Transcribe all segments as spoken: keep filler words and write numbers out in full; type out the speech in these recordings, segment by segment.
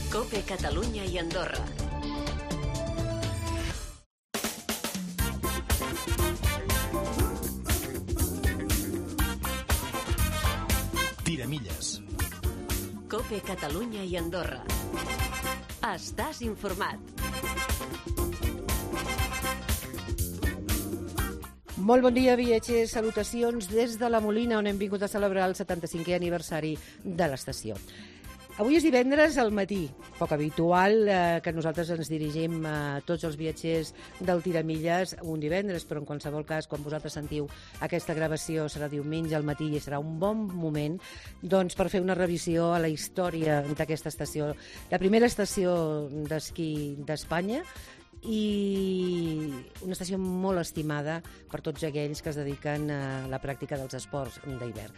COPE Catalunya i Andorra. Tiramilles. COPE Catalunya i Andorra. Estàs informat. Molt bon dia, viatgers. Salutacions des de la Molina, on hem vingut a celebrar el setanta-cinquè aniversari de l'estació. Avui és divendres al matí, poc habitual eh, que nosaltres ens dirigim a tots els viatgers del Tiramilles un divendres, però en qualsevol cas, quan vosaltres sentiu aquesta gravació, serà diumenge al matí i serà un bon moment doncs, per fer una revisió a la història d'aquesta estació. La primera estació d'esquí d'Espanya, i una estació molt estimada per tots aquells que es dediquen a la pràctica dels esports d'hivern.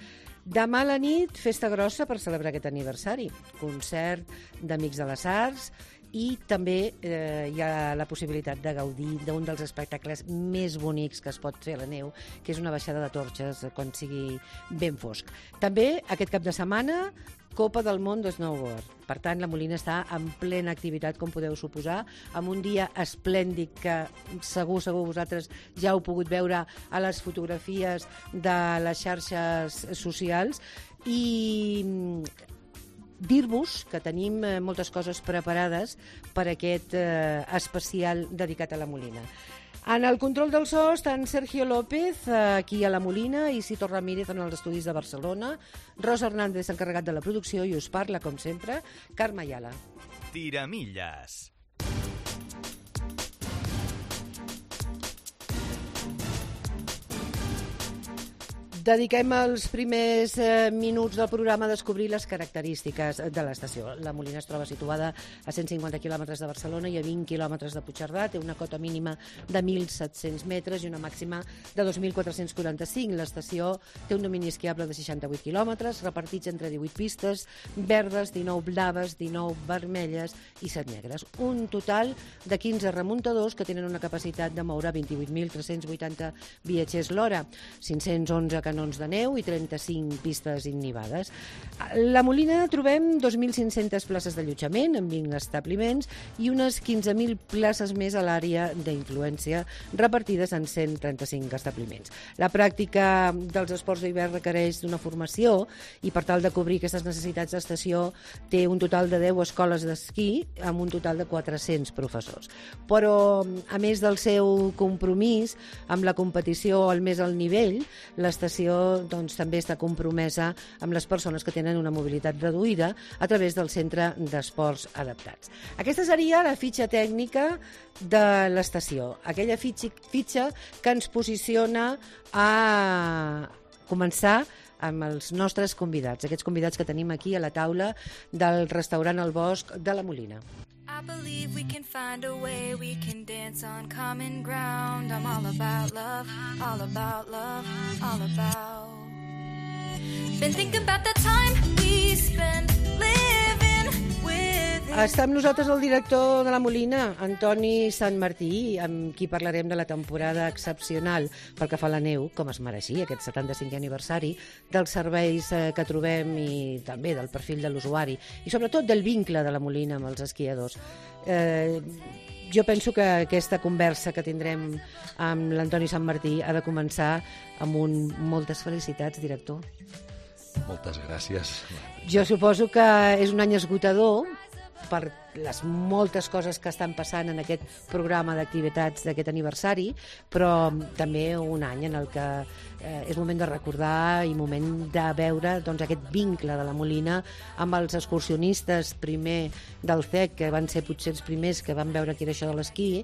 Demà a la nit, festa grossa per celebrar aquest aniversari. Concert d'Amics de les Arts i també eh, hi ha la possibilitat de gaudir d'un dels espectacles més bonics que es pot fer a la neu, que és una baixada de torxes quan sigui ben fosc. També aquest cap de setmana, Copa del Món de Snowboard. Per tant, la Molina està en plena activitat, com podeu suposar, amb un dia esplèndid que segur, segur vosaltres ja heu pogut veure a les fotografies de les xarxes socials. I dir-vos que tenim moltes coses preparades per aquest eh, especial dedicat a la Molina. En el control del so estan Sergio López, aquí a la Molina, i Cito Ramírez en els estudis de Barcelona, Rosa Hernández, encarregat de la producció, i us parla, com sempre, Carme Ayala. Tiramilles. Dediquem els primers eh, minuts del programa a descobrir les característiques de l'estació. La Molina es troba situada a cent cinquanta quilòmetres de Barcelona i a vint quilòmetres de Puigcerdà. Té una cota mínima de mil set-cents metres i una màxima de dos mil quatre-cents quaranta-cinc. L'estació té un domini esquiable de seixanta-vuit quilòmetres, repartits entre divuit pistes, verdes, dinou blaves, dinou vermelles i set negres. Un total de quinze remuntadors que tenen una capacitat de moure vint-i-vuit mil tres-cents vuitanta viatgers l'hora, cinc-cents onze canons de neu i trenta-cinc pistes innivades. A la Molina trobem dos mil cinc-centes places d'allotjament en vint establiments i unes quinze mil places més a l'àrea d'influència repartides en cent trenta-cinc establiments. La pràctica dels esports d'hivern requereix d'una formació i per tal de cobrir aquestes necessitats d'estació té un total de deu escoles d'esquí amb un total de quatre-cents professors. Però a més del seu compromís amb la competició al més alt nivell, l'estació doncs, també està compromesa amb les persones que tenen una mobilitat reduïda a través del Centre d'Esports Adaptats. Aquesta seria la fitxa tècnica de l'estació, aquella fitxa, fitxa que ens posiciona a començar amb els nostres convidats, aquests convidats que tenim aquí a la taula del restaurant El Bosc de la Molina. I believe we can find a way, we can dance on common ground. I'm all about love, all about love, all about. Been thinking about the time we spend living with it. Està amb nosaltres el director de la Molina, Antoni Santmartí, amb qui parlarem de la temporada excepcional pel que fa a la neu, com es mereixia, aquest setanta-cinquè aniversari, dels serveis que trobem i també del perfil de l'usuari, i sobretot del vincle de la Molina amb els esquiadors. Eh, jo penso que aquesta conversa que tindrem amb l'Antoni Santmartí ha de començar amb un moltes felicitats, director. Moltes gràcies. Jo suposo que és un any esgotador per les moltes coses que estan passant en aquest programa d'activitats d'aquest aniversari, però també un any en el que eh, és moment de recordar i moment de veure doncs, aquest vincle de la Molina amb els excursionistes primer del C E C, que van ser potser els primers que van veure què era això de l'esquí,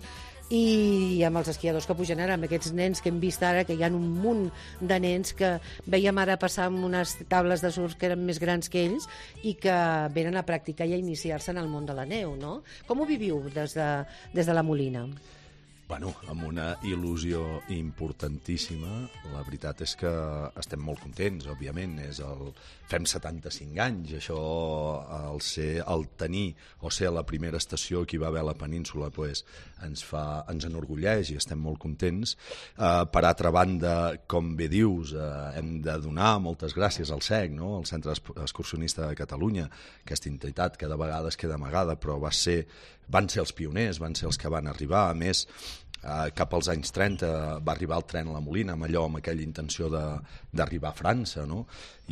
i amb els esquiadors que pugen ara, amb aquests nens que hem vist ara, que hi ha un munt de nens que veiem ara passar amb unes tables de surf que eren més grans que ells i que venen a practicar i a iniciar-se en el món de la neu, no? Com ho viviu des de, des de la Molina? Bueno, amb una il·lusió importantíssima. La veritat és que estem molt contents, òbviament. És el... Fem setanta-cinc anys, això, el, ser, el tenir o ser la primera estació que hi va haver a la península, pues, ens, fa, ens enorgulleix i estem molt contents. Uh, per altra banda, com bé dius, uh, hem de donar moltes gràcies al C E C, no? El Centre Excursionista de Catalunya. Aquesta entitat que de vegades queda amagada, però va ser, van ser els pioners, van ser els que van arribar. A més, Uh, cap als anys trenta va arribar el tren a la Molina, amb allò, amb aquella intenció d'arribar a França, no?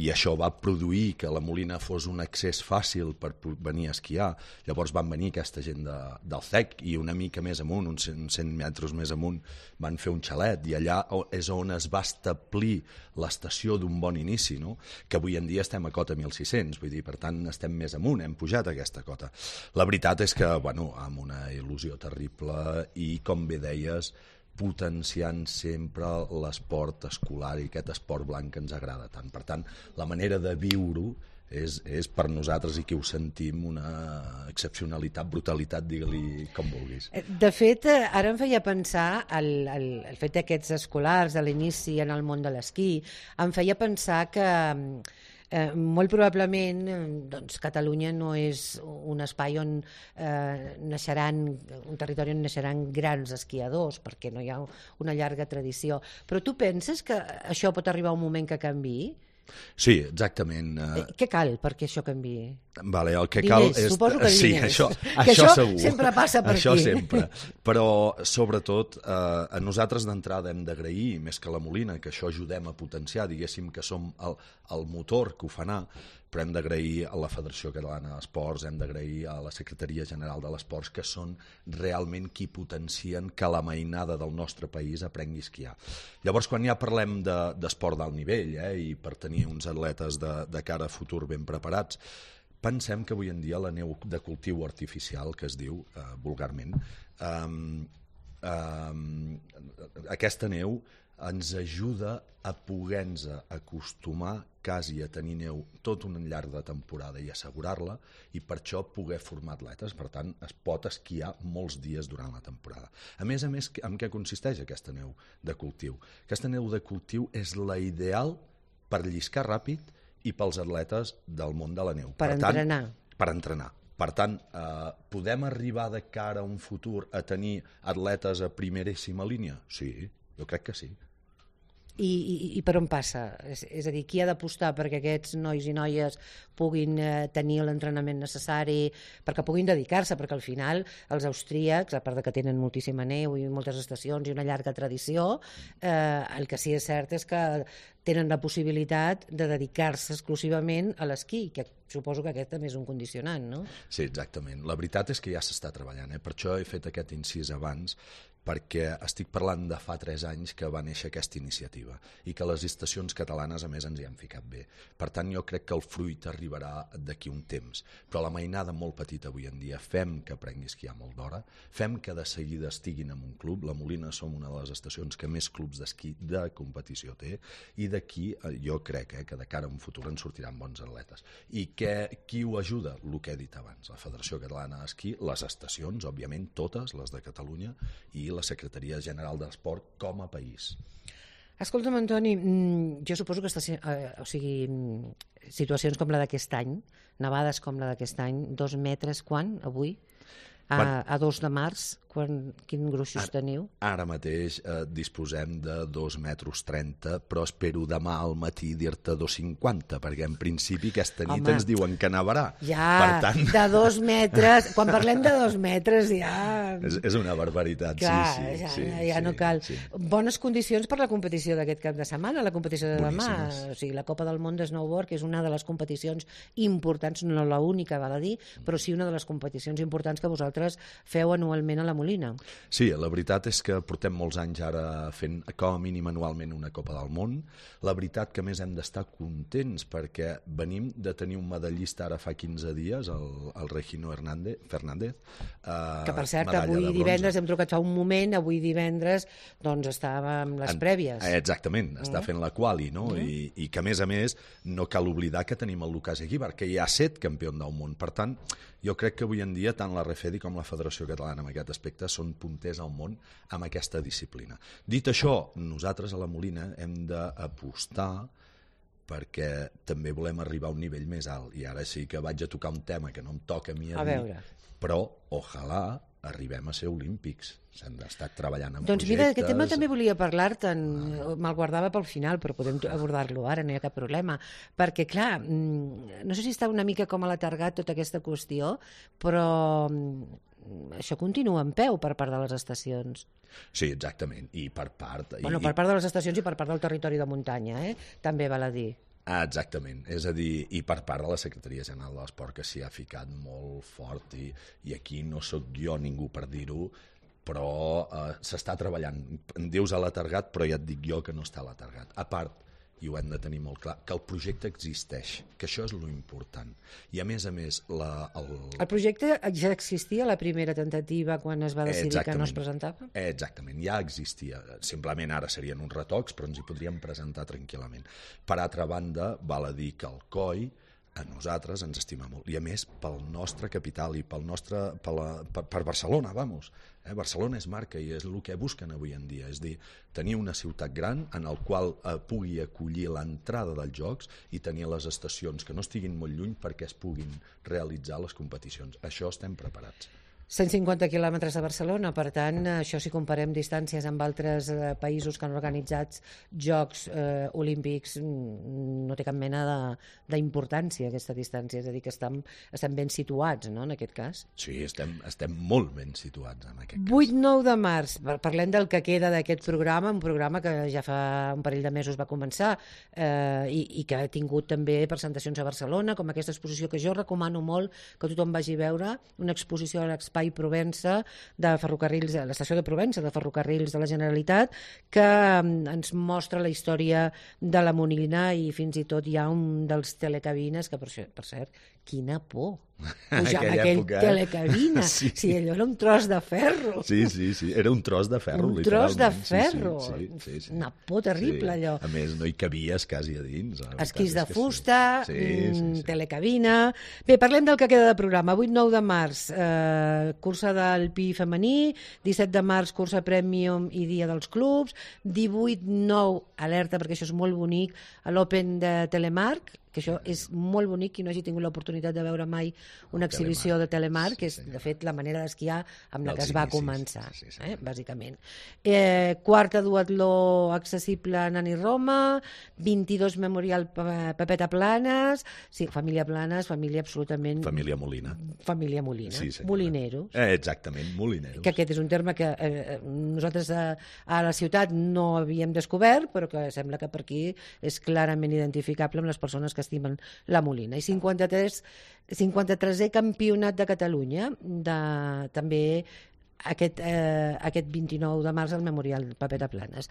I això va produir que la Molina fos un accés fàcil per venir a esquiar. Llavors van venir aquesta gent de, del C E C i una mica més amunt, uns cent metres més amunt, van fer un xalet i allà és on es va establir l'estació d'un bon inici, no? Que avui en dia estem a cota mil sis-cents, vull dir, per tant estem més amunt, hem pujat aquesta cota. La veritat és que, bueno, amb una il·lusió terrible i, com bé deies, potenciant sempre l'esport escolar i aquest esport blanc que ens agrada tant. Per tant, la manera de viure-ho és, és per nosaltres, i que ho sentim, una excepcionalitat, brutalitat, digue-li com vulguis. De fet, ara em feia pensar el, el, el fet d'aquests escolars, de l'inici en el món de l'esquí, em feia pensar que Eh, molt probablement doncs, Catalunya no és un espai on eh, naixeran, un territori on naixeran grans esquiadors, perquè no hi ha una llarga tradició. Però tu penses que això pot arribar un moment que canviï? Sí, exactament. Eh, què cal perquè això canviï? Vale, el que diners, cal és... suposo que sí, diners. això, que això, això segur. sempre passa per això aquí. sempre. Però, sobretot, eh, a nosaltres d'entrada hem d'agrair, més que la Molina, que això ajudem a potenciar, diguéssim que som el, el motor que ho fa anar, però hem d'agrair a la Federació Catalana d'Esports, hem d'agrair a la Secretaria General de l'Esports, que són realment qui potencien que la mainada del nostre país aprengui a esquiar. Llavors, quan ja parlem d'esport d'alt nivell, eh, i per tenir uns atletes de, de cara a futur ben preparats, pensem que avui en dia la neu de cultiu artificial, que es diu eh, vulgarment, eh, eh, aquesta neu ens ajuda a poder-nos acostumar quasi a tenir neu tot un llarg de temporada i assegurar-la, i per això poder formar atletes. Per tant, es pot esquiar molts dies durant la temporada. A més a més, en què consisteix aquesta neu de cultiu? Aquesta neu de cultiu és la ideal per lliscar ràpid i pels atletes del món de la neu. Per, per entrenar. Tant, per entrenar. Per tant, eh, podem arribar de cara a un futur a tenir atletes a primeríssima línia? Sí, jo crec que sí. I, i, i per on passa? És, és a dir, qui ha d'apostar perquè aquests nois i noies puguin eh, tenir l'entrenament necessari, perquè puguin dedicar-se, perquè al final els austríacs, a part de que tenen moltíssima neu i moltes estacions i una llarga tradició, eh, el que sí és cert és que tenen la possibilitat de dedicar-se exclusivament a l'esquí, que suposo que aquest també és un condicionant, no? Sí, exactament. La veritat és que ja s'està treballant, eh? Per això he fet aquest incís abans, perquè estic parlant de fa tres anys que va néixer aquesta iniciativa i que les estacions catalanes, a més, ens hi han ficat bé. Per tant, jo crec que el fruit arribarà d'aquí un temps. Però la mainada molt petita avui en dia, fem que aprengui a esquiar molt d'hora, fem que de seguida estiguin en un club. La Molina som una de les estacions que més clubs d'esquí de competició té, i d'aquí jo crec eh, que de cara a un futur en sortiran bons atletes. I que, qui ho ajuda? El que he dit abans, la Federació Catalana d'Esquí, les estacions, òbviament, totes, les de Catalunya, i la Secretaria General d'Esport com a país. Escolta'm, Antoni, jo suposo que està, eh, o sigui, situacions com la d'aquest any, nevades com la d'aquest any, dos metres, quan, avui? A, quan? a dos de març, quan, quin gruixos ara, teniu? Ara mateix eh, disposem de dos metres trenta, però espero demà al matí dir-te dos cinquanta, perquè en principi aquesta nit Home, ens diuen que nevarà. Ja, per tant... de dos metres, quan parlem de dos metres ja... És, és una barbaritat, Clar, sí, sí. ja, sí, ja sí, no cal. Sí. Bones condicions per la competició d'aquest cap de setmana, la competició de Boníssimes. demà, o sigui, la Copa del Món de Snowboard, que és una de les competicions importants, no l'única, val a dir, però sí una de les competicions importants que vosaltres feu anualment a la Molina. Sí, la veritat és que portem molts anys ara fent com a mínim anualment una Copa del Món. La veritat que més hem d'estar contents perquè venim de tenir un medallista ara fa quinze dies, el, el Regino Hernández, Fernández. Eh, que per cert, avui divendres, hem trucat fa un moment, avui divendres doncs estàvem les en, prèvies. Exactament, està mm. fent la quali, no? Mm. I, I que a més a més no cal oblidar que tenim el Lucas Eguíbar, que hi ha set campions del món. Per tant, jo crec que avui en dia tant la Refedi com la Federació Catalana en aquest aspecte projecte són punters al món amb aquesta disciplina. Dit això, nosaltres a la Molina hem d'apostar perquè també volem arribar a un nivell més alt, i ara sí que vaig a tocar un tema que no em toca a mi a, a dir, veure. però ojalà arribem a ser olímpics. S'han estat treballant en doncs projectes... Doncs mira, aquest tema també volia parlar-te'n, ah. me'l guardava pel final, però podem abordar-lo ara, no hi ha cap problema, perquè clar, no sé si està una mica com a l'atargat tota aquesta qüestió, però això continua en peu per part de les estacions. Sí, exactament, i per part... Bueno, i, per part de les estacions i per part del territori de muntanya, eh? També val a dir. Ah, exactament, és a dir, i per part de la Secretaria General de l'Esport, que s'hi ha ficat molt fort, i, i aquí no sóc jo ningú per dir-ho, però eh, s'està treballant. Em dius a l'atargat, però ja et dic jo que no està a l'atargat. A part, i ho hem de tenir molt clar, que el projecte existeix, que això és lo important. I a més a més... La, el... el projecte ja existia a la primera tentativa quan es va decidir Exactament. que no es presentava? Exactament, ja existia. Simplement ara serien uns retocs, però ens hi podríem presentar tranquil·lament. Per altra banda, val a dir que el C O I a nosaltres ens estima molt, i a més pel nostre capital i pel nostre, per, la, per, per Barcelona, vamos. Eh? Barcelona és marca i és el que busquen avui en dia, és dir, tenir una ciutat gran en el qual eh, pugui acollir l'entrada dels jocs i tenir les estacions que no estiguin molt lluny perquè es puguin realitzar les competicions. Això estem preparats. cent cinquanta quilòmetres de Barcelona, per tant, això si comparem distàncies amb altres eh, països que han organitzat Jocs eh, Olímpics, no té cap mena d'importància aquesta distància, és a dir, que estem, estem ben situats, no?, en aquest cas. Sí, estem, estem molt ben situats en aquest cas. vuit nou de març, parlem del que queda d'aquest programa, un programa que ja fa un parell de mesos va començar eh, i, i que ha tingut també presentacions a Barcelona, com aquesta exposició que jo recomano molt que tothom vagi a veure, una exposició a l'Espai Provença de ferrocarrils, a l'estació de Provença de ferrocarrils de la Generalitat, que ens mostra la història de la Molina, i fins i tot hi ha un dels telecabines que, per, per cert, quina por pujar en aquell època, eh? Telecabina, sí. Si allò era un tros de ferro. Sí, sí, sí, era un tros de ferro, un literalment. Un tros de ferro, sí, sí, sí, sí. Una por terrible, sí. Allò. A més, no hi cabies quasi a dins. Esquís de fusta, sí. Sí, sí, sí. telecabina... Bé, parlem del que queda de programa. vuit nou de març, eh, cursa del Pi femení, disset de març, cursa Premium i Dia dels Clubs, divuit nou, alerta perquè això és molt bonic, a l'Open de Telemark, que això és molt bonic, qui no hagi tingut l'oportunitat de veure mai una exhibició de Telemark, que és, de fet, la manera d'esquiar amb la que es va començar, eh, bàsicament. Eh, quarta duatló accessible a Nani Roma, vint-i-dos Memorial Pepeta Planes, sí, família Planes, família absolutament... Família Molina. Família Molina, sí, molineros. Eh, exactament, molineros. Que aquest és un terme que eh, nosaltres a, a la ciutat no havíem descobert, però que sembla que per aquí és clarament identificable amb les persones que estimen la Molina. I cinquanta-tres, cinquanta-tresè campionat de Catalunya, de, també aquest, eh, aquest vint-i-nou de març al Memorial Pepeta Planes.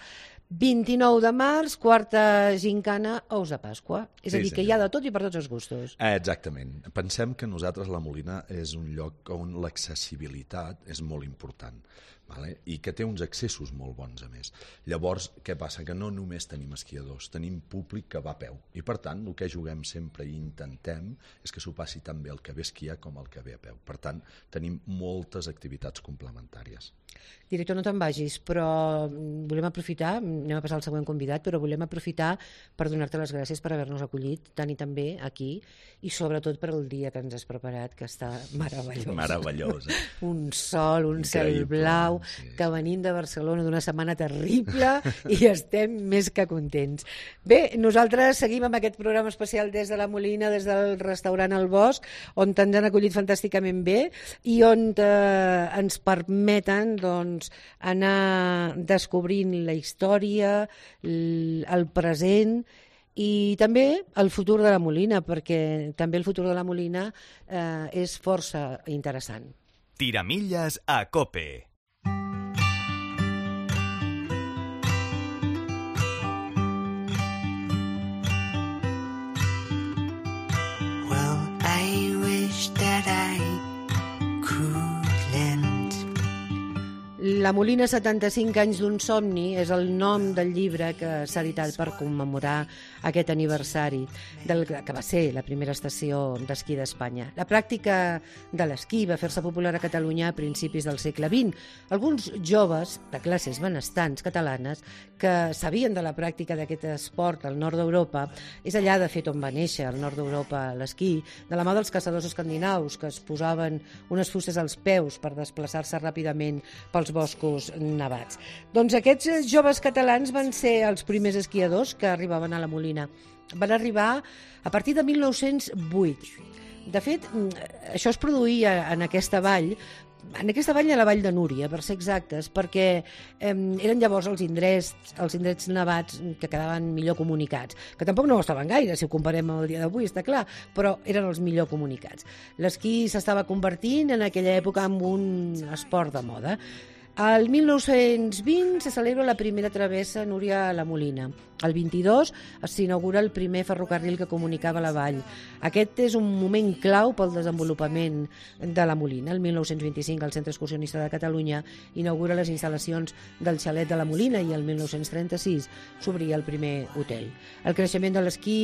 vint-i-nou de març, quarta gincana, ous de Pasqua. És a dir, sí, que hi ha de tot i per tots els gustos. Eh, exactament. Pensem que nosaltres la Molina és un lloc on l'accessibilitat és molt important. Vale? I que té uns accessos molt bons, a més. Llavors, què passa? Que no només tenim esquiadors, tenim públic que va a peu. I, per tant, el que juguem sempre i intentem és que s'ho passi tan bé el que ve a esquiar com el que ve a peu. Per tant, tenim moltes activitats complementàries. Director, no te'n vagis, però volem aprofitar, anem a passar al següent convidat, però volem aprofitar per donar-te les gràcies per haver-nos acollit tant i tan bé aquí, i sobretot per el dia que ens has preparat, que està meravellós. Meravellós, eh? Un sol, un Increïble. Cel blau, sí, sí. Que venim de Barcelona d'una setmana terrible i estem més que contents. Bé, nosaltres seguim amb aquest programa especial des de la Molina, des del restaurant El Bosc, on ens han acollit fantàsticament bé i on eh, ens permeten doncs, anar descobrint la història, el present i també el futur de la Molina, perquè també el futur de la Molina eh, és força interessant. Tiramilles a COPE. Well, I wish that I could lend La Molina, setanta-cinc anys d'un somni, és el nom del llibre que s'ha editat per commemorar aquest aniversari del que va ser la primera estació d'esquí d'Espanya. La pràctica de l'esquí va fer-se popular a Catalunya a principis del segle vint. Alguns joves de classes benestants catalanes que sabien de la pràctica d'aquest esport al nord d'Europa, és allà de fet on va néixer, al nord d'Europa, l'esquí, de la mà dels caçadors escandinaus que es posaven unes fustes als peus per desplaçar-se ràpidament pels boscos nevats. Doncs aquests joves catalans van ser els primers esquiadors que arribaven a la Molina. Van arribar a partir de mil nou-cents vuit. De fet, això es produïa en aquesta vall, en aquesta vall a la Vall de Núria, per ser exactes, perquè eh, eren llavors els indrets, els indrets nevats que quedaven millor comunicats, que tampoc no ho estaven gaire, si ho comparem amb el dia d'avui, està clar, però eren els millor comunicats. L'esquí s'estava convertint en aquella època en un esport de moda. Al mil nou-cents vint se celebra la primera travessa Núria a la Molina. El vint-i-dos s'inaugura el primer ferrocarril que comunicava la vall. Aquest és un moment clau pel desenvolupament de la Molina. El mil nou-cents vint-i-cinc el Centre Excursionista de Catalunya inaugura les instal·lacions del xalet de la Molina i el mil nou-cents trenta-sis s'obria el primer hotel. El creixement de l'esquí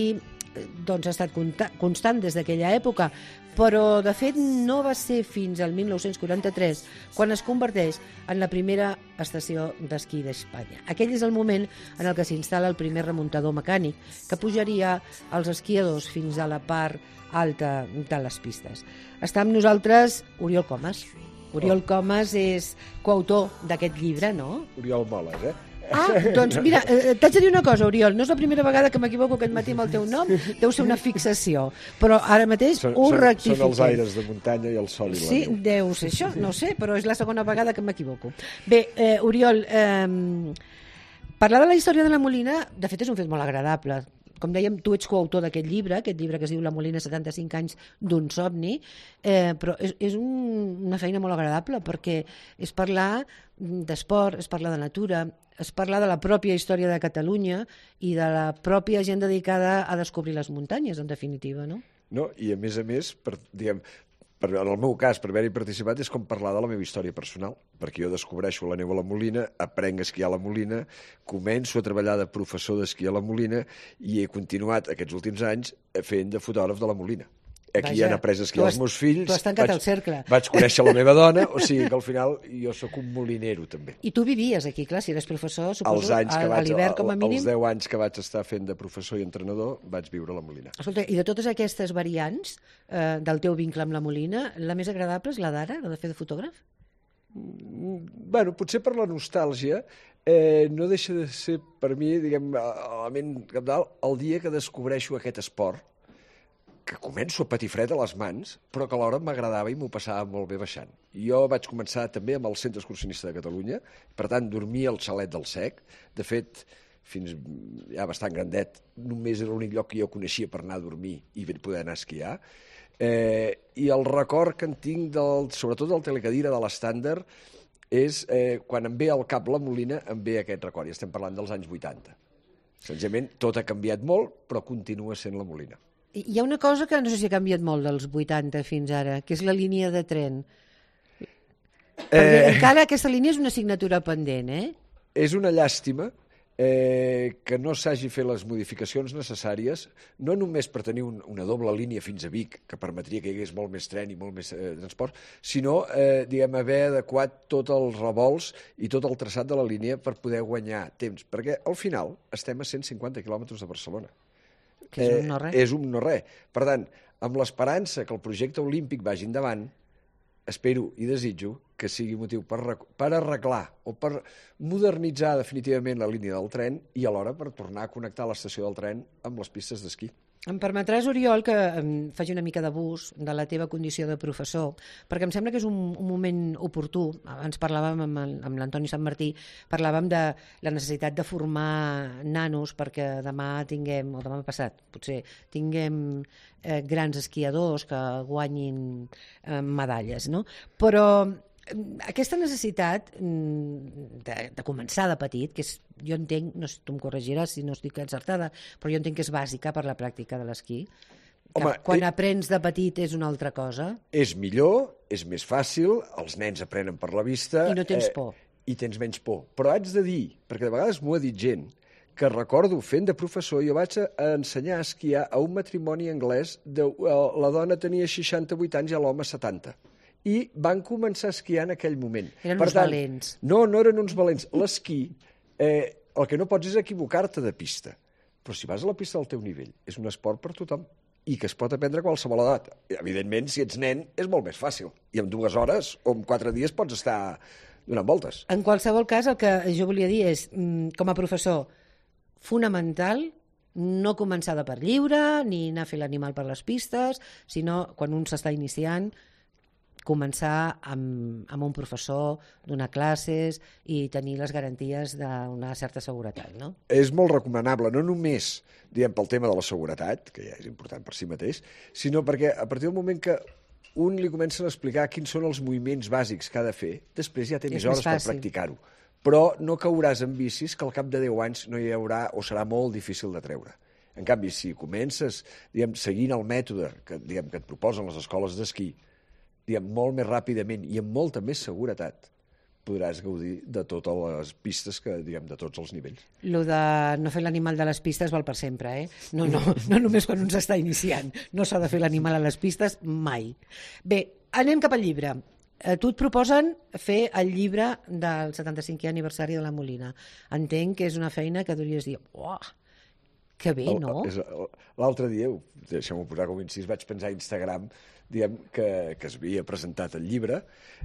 doncs, ha estat constant des d'aquella època, però de fet no va ser fins al mil nou-cents quaranta-tres quan es converteix en la primera estació d'esquí d'Espanya. Aquell és el moment en el que s'instal·la el primer remuntador mecànic que pujaria els esquiadors fins a la part alta de les pistes. Està amb nosaltres Oriol Comas. Oriol Comas és coautor d'aquest llibre, no? Oriol Moles, eh? Ah, doncs mira, eh, t'haig de dir una cosa, Oriol, no és la primera vegada que m'equivoco aquest matí amb el teu nom, deu ser una fixació, però ara mateix són, ho són, rectifiquem. Són els aires de muntanya i el sol i la Sí, neu. deu ser això, no sé, però és la segona vegada que m'equivoco. Bé, eh, Oriol, eh, parlar de la història de la Molina, de fet és un fet molt agradable. Com dèiem, tu ets coautor d'aquest llibre, aquest llibre que es diu La Molina, setanta-cinc anys d'un somni, eh, però és, és un, una feina molt agradable perquè és parlar d'esport, és parlar de natura, és parlar de la pròpia història de Catalunya i de la pròpia gent dedicada a descobrir les muntanyes, en definitiva, no? No, i a més a més, per, diguem, per, en el meu cas, per haver-hi participat, és com parlar de la meva història personal, perquè jo descobreixo la neu a la Molina, aprenc a esquiar a la Molina, començo a treballar de professor d'esquí a la Molina i he continuat aquests últims anys fent de fotògraf de la Molina. Aquí Vaja, han après a esquiar els meus fills. Tu has tancat vaig, el cercle. Vaig conèixer la meva dona, o sigui que al final jo sóc un molinero també. I tu vivies aquí, clar, si eres professor, suposo, Els anys que a, a vaig, l'hivern com a mínim. Els deu anys que vaig estar fent de professor i entrenador, vaig viure a la Molina. Escolta, i de totes aquestes variants eh, del teu vincle amb la Molina, la més agradable és la d'ara, la de fer de fotògraf? Bueno, potser per la nostàlgia, eh, no deixa de ser per mi, diguem, element cabdal, el dia que descobreixo aquest esport, que començo a patir fred a les mans, però que alhora m'agradava i m'ho passava molt bé baixant. Jo vaig començar també amb el Centre Excursionista de Catalunya, per tant, dormia al xalet del Sec. De fet, fins ja bastant grandet, només era l'únic lloc que jo coneixia per anar a dormir i poder anar a esquiar. Eh, I el record que en tinc, del, sobretot del telecadira de l'estàndard, és eh, quan em ve al cap la Molina, em ve aquest record, i estem parlant dels anys vuitanta. Senzillament, tot ha canviat molt, però continua sent la Molina. Hi ha una cosa que no sé si ha canviat molt dels vuitanta fins ara, que és la línia de tren. Perquè Eh, encara aquesta línia és una assignatura pendent, eh? és una llàstima eh, que no s'hagi fet les modificacions necessàries, no només per tenir un, una doble línia fins a Vic, que permetria que hi hagués molt més tren i molt més eh, transport, sinó eh, diguem, haver adequat tots els revolts i tot el traçat de la línia per poder guanyar temps, perquè al final estem a cent cinquanta quilòmetres de Barcelona. Que és un no res. Eh, és un no res. Per tant, amb l'esperança que el projecte olímpic vagi endavant, espero i desitjo que sigui motiu per, per arreglar o per modernitzar definitivament la línia del tren i alhora per tornar a connectar l'estació del tren amb les pistes d'esquí. Em permetràs, Oriol, que em faci una mica d'abús de la teva condició de professor, perquè em sembla que és un, un moment oportú. Abans parlàvem amb, el, amb l'Antoni Sant Martí, parlàvem de la necessitat de formar nanos perquè demà tinguem, o demà passat, potser, tinguem eh, grans esquiadors que guanyin eh, medalles, no? Però aquesta necessitat de, de començar de petit, que és, jo entenc, no sé, tu em corregiràs si no estic encertada, però jo entenc que és bàsica per la pràctica de l'esquí. Home, quan eh... aprens de petit és una altra cosa. És millor, és més fàcil, els nens aprenen per la vista... I no tens por. i tens menys por. Però haig de dir, perquè de vegades m'ho ha dit gent, que recordo fent de professor, jo vaig a ensenyar a esquiar a un matrimoni anglès, de, la dona tenia seixanta-vuit anys i l'home setanta. I van començar a esquiar en aquell moment. Eren per uns tant, valents. No, no eren uns valents. L'esquí, eh, el que no pots és equivocar-te de pista. Però si vas a la pista del teu nivell, és un esport per tothom i que es pot aprendre a qualsevol edat. Evidentment, si ets nen, és molt més fàcil. I en dues hores o en quatre dies pots estar donant voltes. En qualsevol cas, el que jo volia dir és, com a professor, fonamental no començar de per lliure, ni anar a fer l'animal per les pistes, sinó, quan un s'està iniciant, començar amb, amb un professor, donar classes i tenir les garanties d'una certa seguretat, no? És molt recomanable, no només diguem, pel tema de la seguretat, que ja és important per si mateix, sinó perquè a partir del moment que un li comença a explicar quins són els moviments bàsics que ha de fer, després ja té més hores per practicar-ho. Però no cauràs en vicis que al cap de deu anys no hi haurà o serà molt difícil de treure. En canvi, si comences diguem, seguint el mètode que, diguem, que et proposen les escoles d'esquí, diguem, molt més ràpidament i amb molta més seguretat, podràs gaudir de totes les pistes, que, diguem, de tots els nivells. Lo de no fer l'animal de les pistes val per sempre, eh? No, no, no només quan un s'està iniciant. No s'ha de fer l'animal a les pistes mai. Bé, anem cap al llibre. Tu et proposen fer el llibre del setanta-cinquè aniversari de la Molina. Entenc que és una feina que deuries dir, uah, que bé, no? L'altre dia, deixeu-m'ho posar com incís, vaig pensar a Instagram diguem, que, que es havia presentat el llibre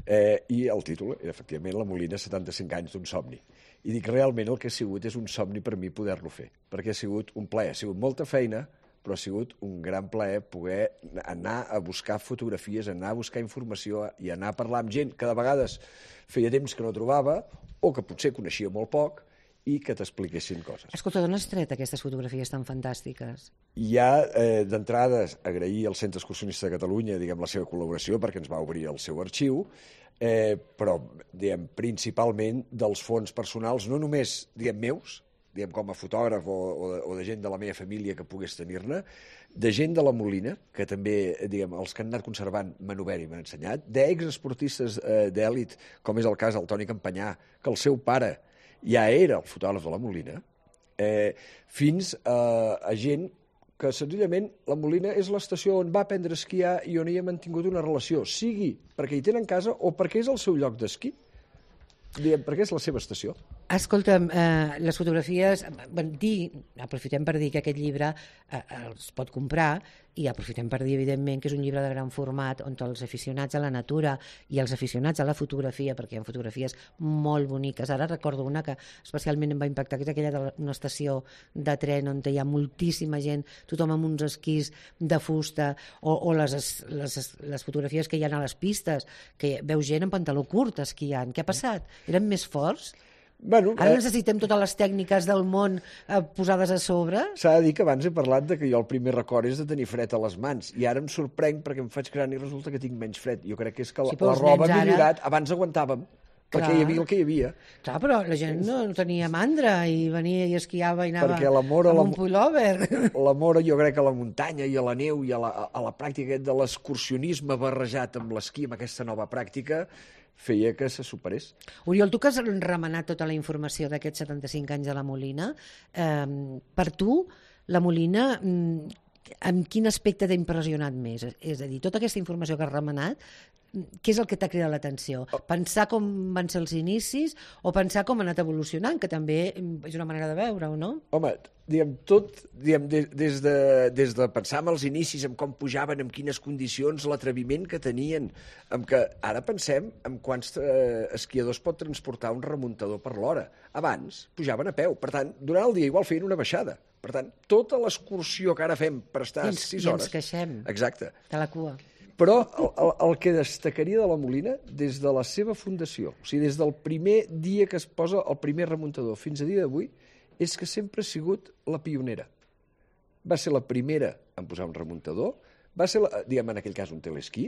eh, i el títol era efectivament La Molina, setanta-cinc anys d'un somni. I dic, realment el que ha sigut és un somni per mi poder-lo fer, perquè ha sigut un plaer, ha sigut molta feina, però ha sigut un gran plaer poder anar a buscar fotografies, anar a buscar informació i anar a parlar amb gent que de vegades feia temps que no trobava o que potser coneixia molt poc i que t'expliquessin coses. Escolta, d'on has tret aquestes fotografies tan fantàstiques? Hi ha, eh, d'entrada, agrair al Centre Excursionista de Catalunya diguem, la seva col·laboració perquè ens va obrir el seu arxiu, eh, però diguem, principalment dels fons personals, no només diguem, meus, diguem, com a fotògraf o, o, de, o de gent de la meva família que pogués tenir-ne, de gent de la Molina, que també, diguem, els que han anat conservant m'han obert i m'han ensenyat, d'exesportistes eh, d'èlit, com és el cas del Toni Campanyà, que el seu pare ja era el fotògraf de la Molina, eh, fins a, a gent que senzillament la Molina és l'estació on va aprendre a esquiar i on hi ha mantingut una relació, sigui perquè hi tenen casa o perquè és el seu lloc d'esquí, perquè és la seva estació. Escolta'm, eh, les fotografies, ben, dir, aprofitem per dir que aquest llibre eh, els pot comprar i aprofitem per dir, evidentment, que és un llibre de gran format on els aficionats a la natura i els aficionats a la fotografia, perquè hi ha fotografies molt boniques. Ara recordo una que especialment em va impactar, que és aquella d'una estació de tren on hi ha moltíssima gent, tothom amb uns esquís de fusta, o, o les, les, les fotografies que hi ha a les pistes, que veus gent en pantaló curt esquiant. Què ha passat? Eren més forts? Bueno, Ara necessitem totes les tècniques del món eh, posades a sobre. S'ha de dir que abans he parlat de que jo el primer record és de tenir fred a les mans i ara em sorprenc perquè em faig gran i resulta que tinc menys fred. Jo crec que és que la, Sí, la roba ha millorat. Ara... Abans aguantàvem perquè Clar. hi havia el que hi havia. Clar, però la gent no, no tenia mandra i venia i esquiava i anava Perquè l'amor a amb la- un pullover. L'amor, jo crec, a la muntanya i a la neu i a la, a la pràctica de l'excursionisme barrejat amb l'esquí, amb aquesta nova pràctica, feia que se superés. Oriol, tu que has remenat tota la informació d'aquests setanta-cinc anys de la Molina, eh, per tu, la Molina, mm, amb quin aspecte t'ha impressionat més? És a dir, tota aquesta informació que has remenat, què és el que t'ha cridat l'atenció? Pensar com van ser els inicis o pensar com ha anat evolucionant, que també és una manera de veure-ho, no? Home, diguem, tot, diguem, des, des, de, des de pensar en els inicis, en com pujaven, en quines condicions, l'atreviment que tenien, en que ara pensem en quants eh, esquiadors pot transportar un remuntador per l'hora. Abans pujaven a peu, per tant, durant el dia igual feien una baixada. Per tant, tota l'excursió que ara fem per estar I ens, sis i hores... ens queixem Exacte. de la cua. Però el, el, el que destacaria de la Molina, des de la seva fundació, o sigui, des del primer dia que es posa el primer remuntador fins a dia d'avui, és que sempre ha sigut la pionera. Va ser la primera en posar un remuntador, va ser, la, diguem en aquell cas, un telesquí,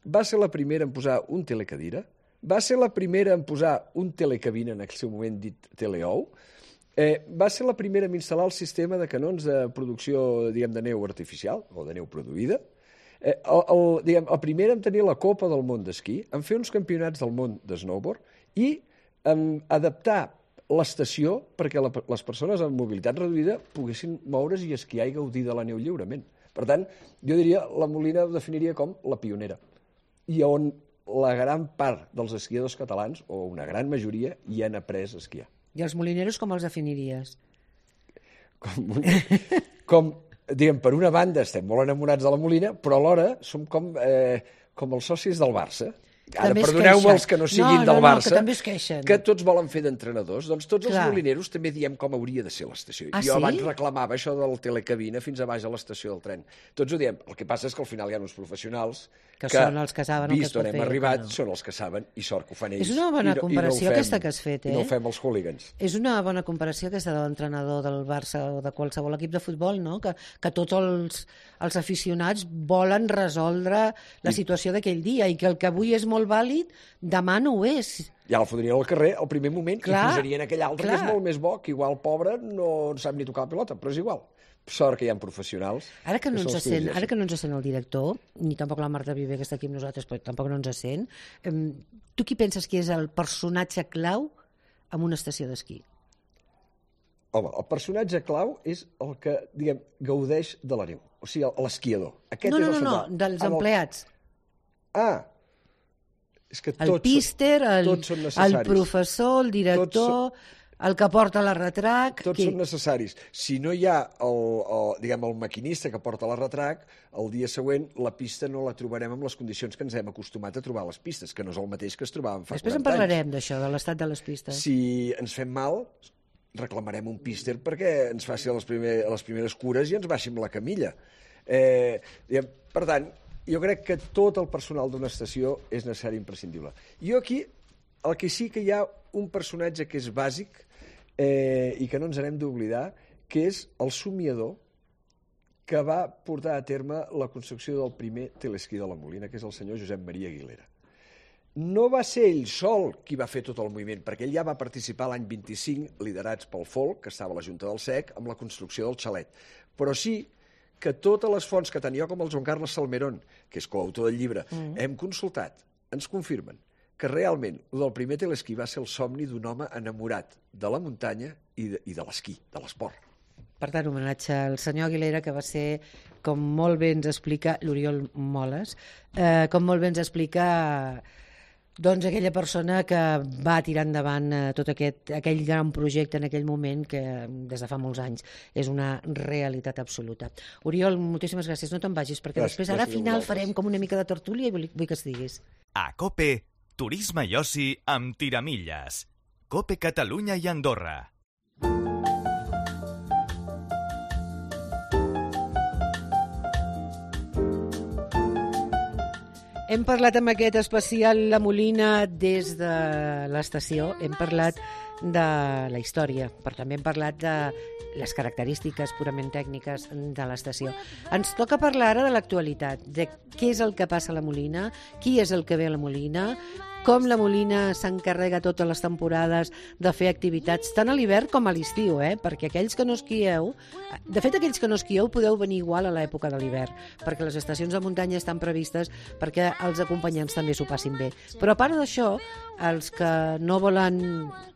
va ser la primera en posar un telecadira, va ser la primera en posar un telecabina, en el seu moment dit teleou, eh, va ser la primera en instal·lar el sistema de canons de producció, diguem, de neu artificial, o de neu produïda. Eh, el, el, diguem, el primer en tenir la Copa del Món d'esquí, en fer uns campionats del món de snowboard i um, adaptar l'estació perquè la, les persones amb mobilitat reduïda poguessin moure's i esquiar i gaudir de la neu lliurement. Per tant, jo diria, la Molina ho definiria com la pionera, i on la gran part dels esquiadors catalans, o una gran majoria, hi han après a esquiar. I els molineros com els definiries? Com, com diguem, per una banda estem molt enamorats de la Molina, però alhora som com, eh, com els socis del Barça. Ara, perdoneu-me els que no siguin no, del no, Barça, no, que també es queixen. que tots volen fer d'entrenadors. Doncs tots Clar. els molineros també diem com hauria de ser l'estació. Ah, jo sí? abans reclamava això del telecabina fins a baix a l'estació del tren. Tots ho diem. El que passa és que al final hi ha uns professionals Que són els que saben el que es vist pot on hem fer i el que arribat, no. són els que saben, i sort que ho fan ells. És una bona I no, comparació i no ho fem, aquesta que has fet, eh? I no ho fem els hooligans. És una bona comparació aquesta de l'entrenador del Barça o de qualsevol equip de futbol, no? Que, que tots els, els aficionats volen resoldre la situació d'aquell dia i que el que avui és molt vàlid, demà no ho és. Ja el fotrien al carrer al primer moment Clar, i posarien aquell altre clar. que és molt més bo, que igual pobre no sap ni tocar la pilota, però és igual. Sort que hi ha professionals. Ara que no, són ens els que sent, dirigeixen. ara que no ens sent el director, ni tampoc la Marta Viver, que està aquí amb nosaltres, però tampoc no ens sent, eh, tu qui penses que és el personatge clau en una estació d'esquí? Home, el personatge clau és el que, diguem, gaudeix de la neu. O sigui, l'esquiador. Aquest No, és no, el no, no, central. dels Amb el- empleats. Ah, és que El tots, píster, el, tots són el necessaris. professor, el director, el que porta la retrac... Tots qui- són necessaris. Si no hi ha el, el, diguem, el maquinista que porta la retrac, el dia següent la pista no la trobarem amb les condicions que ens hem acostumat a trobar a les pistes, que no és el mateix que es trobàvem fa Després en quaranta anys. parlarem d'això, de l'estat de les pistes. Si ens fem mal, reclamarem un píster perquè ens faci les, primer, les primeres cures i ens baixi amb la camilla. Eh, diguem, per tant, jo crec que tot el personal d'una estació és necessari i imprescindible. Jo aquí, el que sí que hi ha un personatge que és bàsic eh, i que no ens n'hem d'oblidar, que és el somiador que va portar a terme la construcció del primer telesquí de la Molina, que és el senyor Josep Maria Aguilera. No va ser ell sol qui va fer tot el moviment, perquè ell ja va participar l'any vint-i-cinc, liderats pel Folk, que estava a la Junta del S E C, amb la construcció del xalet. Però sí que totes les fonts que tenia, com el Joan Carles Salmerón, que és coautor del llibre, mm. hem consultat, ens confirmen que realment el del primer telesquí va ser el somni d'un home enamorat de la muntanya i de, i de l'esquí, de l'esport. Per tant, homenatge al senyor Aguilera, que va ser, com molt bé ens explica, l'Oriol Moles, eh, com molt bé ens explica doncs aquella persona que va tirar endavant eh, tot aquest, aquell gran projecte en aquell moment que des de fa molts anys és una realitat absoluta. Oriol, moltíssimes gràcies, no te'n vagis, perquè Gràcies, després ara al gràcies a final vosaltres. farem com una mica de tertúlia i vull, vull que estiguis. A COPE, turisme i oci amb tiramilles. COPE Catalunya i Andorra. Hem parlat amb aquest especial La Molina des de l'estació, hem parlat de la història, però també hem parlat de les característiques purament tècniques de l'estació. Ens toca parlar ara de l'actualitat, de què és el que passa a la Molina, qui és el que ve a la Molina, com la Molina s'encarrega totes les temporades de fer activitats tant a l'hivern com a l'estiu, eh? Perquè aquells que no esquieu, de fet aquells que no esquieu podeu venir igual a l'època de l'hivern, perquè les estacions de muntanya estan previstes perquè els acompanyants també s'ho passin bé. Però a part d'això, els que no volen,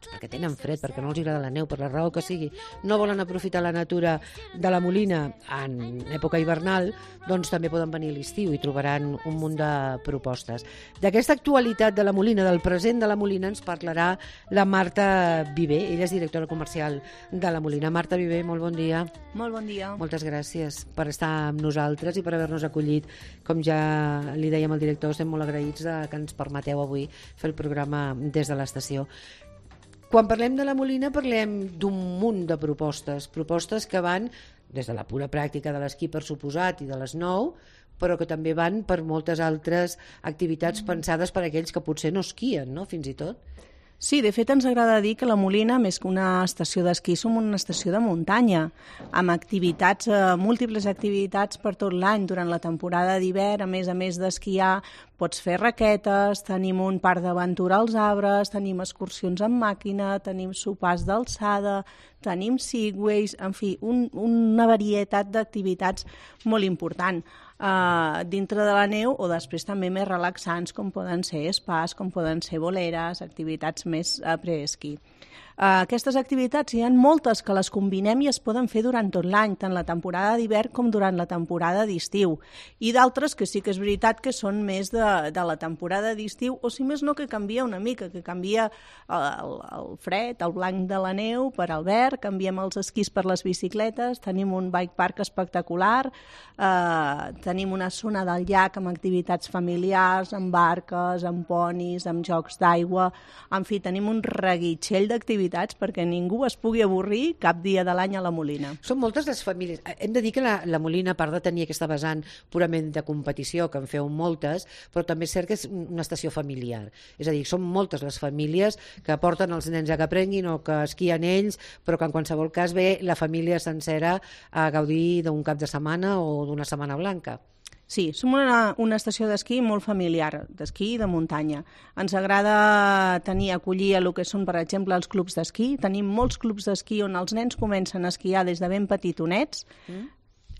perquè tenen fred, perquè no els agrada la neu, per la raó que sigui, no volen aprofitar la natura de la Molina en època hivernal, doncs també poden venir a l'estiu i trobaran un munt de propostes. D'aquesta actualitat de la Molina, del present de la Molina, ens parlarà la Marta Viver. Ella és directora comercial de la Molina. Marta Viver, molt bon dia. Molt bon dia. Moltes gràcies per estar amb nosaltres i per haver-nos acollit. Com ja li dèiem al director, estem molt agraïts de que ens permeteu avui fer el programa des de l'estació. Quan parlem de la Molina parlem d'un munt de propostes, propostes que van des de la pura pràctica de l'esquí, per suposat, i de l'snow, però que també van per moltes altres activitats pensades per a aquells que potser no esquien, no?, fins i tot. Sí, de fet ens agrada dir que la Molina, més que una estació d'esquí, som una estació de muntanya, amb activitats, eh, múltiples activitats per tot l'any. Durant la temporada d'hivern, a més a més d'esquiar, pots fer raquetes, tenim un parc d'aventura als arbres, tenim excursions amb màquina, tenim sopars d'alçada, tenim segways, en fi, un, una varietat d'activitats molt important. uh, dintre de la neu, o després també més relaxants, com poden ser spas, com poden ser boleres, activitats més uh, pre-esquí. Uh, aquestes activitats hi ha moltes que les combinem i es poden fer durant tot l'any, tant la temporada d'hivern com durant la temporada d'estiu. I d'altres que sí que és veritat que són més de, de la temporada d'estiu, o si més no que canvia una mica, que canvia el, el fred, el blanc de la neu per al verd, canviem els esquís per les bicicletes, tenim un bike park espectacular, uh, tenim una zona del llac amb activitats familiars, amb barques, amb ponis, amb jocs d'aigua, en fi, tenim un reguitxell d'activitats perquè ningú es pugui avorrir cap dia de l'any a la Molina. Són moltes les famílies. Hem de dir que la, la Molina, a part de tenir aquesta vessant purament de competició, que en feu moltes, però també és cert que és una estació familiar. És a dir, són moltes les famílies que porten els nens a que aprenguin o que esquien ells, però que en qualsevol cas ve la família sencera a gaudir d'un cap de setmana o d'una setmana blanca. Sí, som una, una estació d'esquí molt familiar, d'esquí i de muntanya. Ens agrada tenir, acollir el que són, per exemple, els clubs d'esquí. Tenim molts clubs d'esquí on els nens comencen a esquiar des de ben petitonets, mm.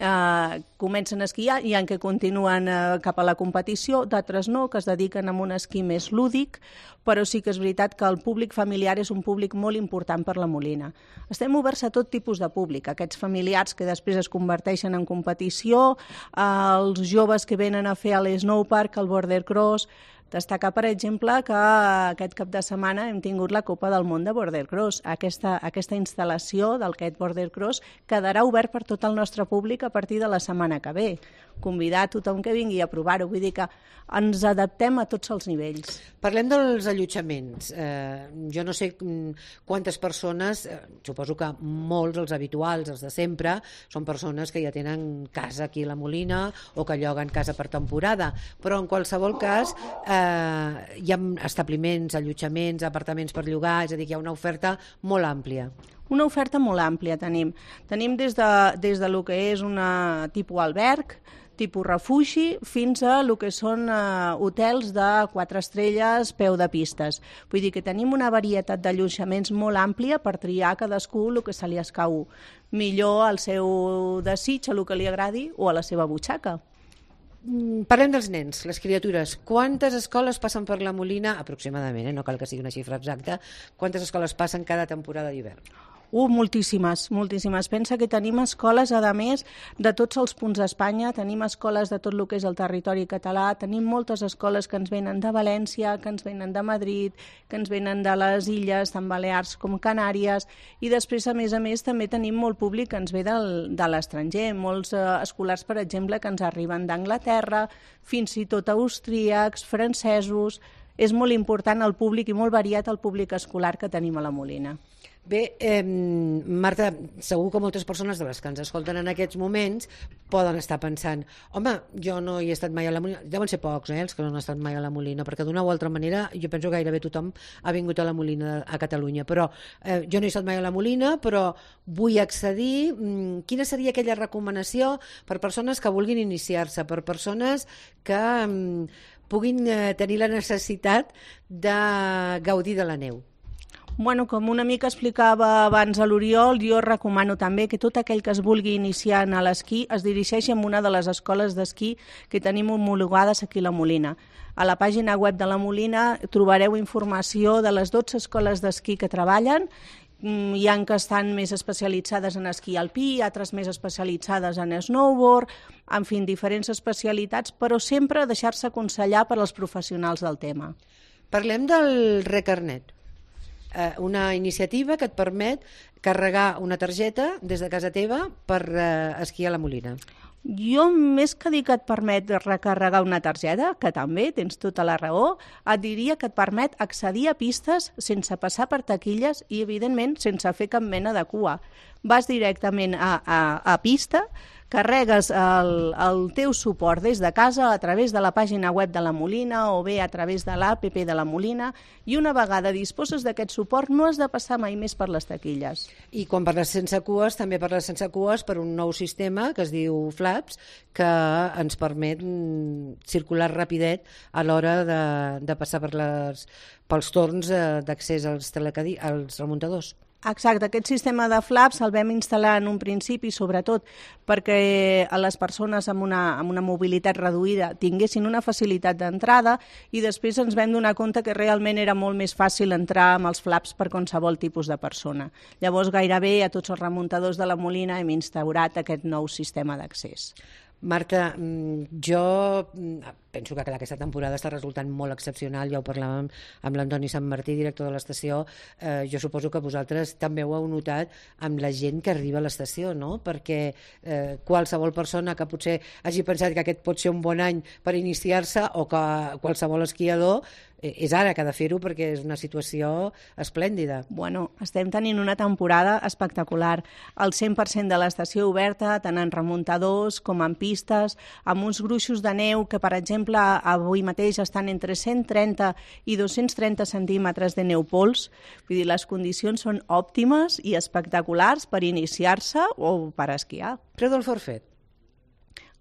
eh, comencen a esquiar i en què continuen eh, cap a la competició, d'altres no, que es dediquen a un esquí més lúdic, però sí que és veritat que el públic familiar és un públic molt important per la Molina. Estem oberts a tot tipus de públic, aquests familiars que després es converteixen en competició, els joves que venen a fer a l'Snowpark, al Border Cross. Destacar, per exemple, que aquest cap de setmana hem tingut la Copa del Món de Border Cross. Aquesta, aquesta instal·lació d'aquest Border Cross quedarà obert per tot el nostre públic a partir de la setmana que ve. Convidar a tothom que vingui a provar-ho. Vull dir que ens adaptem a tots els nivells. Parlem dels allotjaments. Eh, jo no sé quantes persones, eh, suposo que molts, els habituals, els de sempre, són persones que ja tenen casa aquí a la Molina o que lloguen casa per temporada, però en qualsevol cas eh, hi ha establiments, allotjaments, apartaments per llogar, és a dir, que hi ha una oferta molt àmplia. Una oferta molt àmplia tenim. Tenim des de, des de lo que és una tipus alberg, tipus refugi, fins a el que són uh, hotels de quatre estrelles, peu de pistes. Vull dir que tenim una varietat d'allotjaments molt àmplia per triar cadascú el que se li escau millor al seu desig, a el que li agradi o a la seva butxaca. Parlem dels nens, les criatures. Quantes escoles passen per la Molina, aproximadament, eh? No cal que sigui una xifra exacta, quantes escoles passen cada temporada d'hivern? Uh, moltíssimes, moltíssimes. Pensa que tenim escoles, a més, de tots els punts d'Espanya, tenim escoles de tot el que és el territori català, tenim moltes escoles que ens venen de València, que ens venen de Madrid, que ens venen de les illes, tant Balears com Canàries, i després, a més a més, també tenim molt públic que ens ve del, de l'estranger, molts eh, escolars, per exemple, que ens arriben d'Anglaterra, fins i tot austríacs, francesos. És molt important el públic i molt variat el públic escolar que tenim a la Molina. Bé, eh, Marta, segur que moltes persones de les que ens escolten en aquests moments poden estar pensant, home, jo no hi he estat mai a la Molina, deuen ser pocs, eh, els que no han estat mai a la Molina, perquè d'una o altra manera jo penso que gairebé tothom ha vingut a la Molina a Catalunya, però eh, jo no he estat mai a la Molina, però vull accedir. Quina seria aquella recomanació per persones que vulguin iniciar-se, per persones que mm, puguin eh, tenir la necessitat de gaudir de la neu? Bueno, com una mica explicava abans a l'Oriol, jo recomano també que tot aquell que es vulgui iniciar en l'esquí es dirigeixi a una de les escoles d'esquí que tenim homologades aquí a la Molina. A la pàgina web de la Molina trobareu informació de les dotze escoles d'esquí que treballen. Hi ha que estan més especialitzades en esquí alpí, altres més especialitzades en snowboard, en fi, diferents especialitats, però sempre deixar-se aconsellar per als professionals del tema. Parlem del Recarnet. Una iniciativa que et permet carregar una targeta des de casa teva per eh, esquiar a la Molina. Jo, més que dir que et permet recarregar una targeta, que també tens tota la raó, et diria que et permet accedir a pistes sense passar per taquilles i, evidentment, sense fer cap mena de cua. Vas directament a, a, a pista, carregues el, el teu suport des de casa a través de la pàgina web de la Molina o bé a través de l'A P P de la Molina i una vegada disposes d'aquest suport no has de passar mai més per les taquilles. I quan parles sense cues, també parles sense cues per un nou sistema que es diu Flaps, que ens permet circular rapidet a l'hora de, de passar per les, pels torns d'accés als, telecadi, als remuntadors. Exacte, aquest sistema de flaps el vam instal·lar en un principi, sobretot perquè a les persones amb una, amb una mobilitat reduïda tinguessin una facilitat d'entrada, i després ens vam donar compte que realment era molt més fàcil entrar amb els flaps per qualsevol tipus de persona. Llavors, gairebé a tots els remuntadors de la Molina hem instaurat aquest nou sistema d'accés. Marta, jo penso que aquesta temporada està resultant molt excepcional, ja ho parlàvem amb l'Antoni Sant Martí, director de l'estació. Eh, jo suposo que vosaltres també ho heu notat amb la gent que arriba a l'estació, no? Perquè eh, qualsevol persona que potser hagi pensat que aquest pot ser un bon any per iniciar-se, o que qualsevol esquiador, eh, és ara que ha de fer-ho perquè és una situació esplèndida. Bueno, estem tenint una temporada espectacular. El cent per cent de l'estació oberta, tant en remuntadors com en pistes, amb uns gruixos de neu que, per exemple, avui mateix estan entre cent trenta i dos-cents trenta centímetres de neu pols. Vull dir, les condicions són òptimes i espectaculars per iniciar-se o per esquiar. Preu del forfet?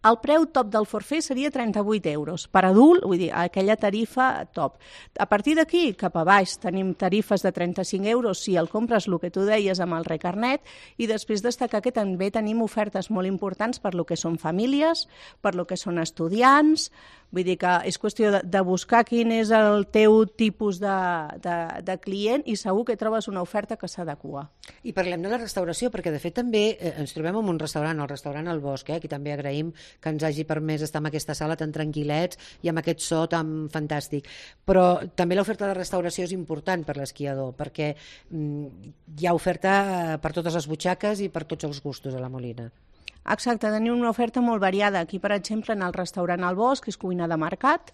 El preu top del forfait seria trenta-vuit euros. Per adult, vull dir, aquella tarifa top. A partir d'aquí, cap a baix, tenim tarifes de trenta-cinc euros si el compres, el que tu deies, amb el recarnet, i després destacar que també tenim ofertes molt importants per lo que són famílies, per lo que són estudiants. Vull dir que és qüestió de, de buscar quin és el teu tipus de, de, de client, i segur que trobes una oferta que s'adequa. I parlem de la restauració, perquè de fet també eh, ens trobem en un restaurant, el restaurant El Bosc, eh, aquí també agraïm que ens hagi permès estar en aquesta sala tan tranquil·lets i amb aquest so tan fantàstic. Però també l'oferta de restauració és important per l'esquiador, perquè mm, hi ha oferta per totes les butxaques i per tots els gustos a la Molina. Exacte, tenim una oferta molt variada. Aquí, per exemple, en el restaurant El Bosc, que és cuina de mercat,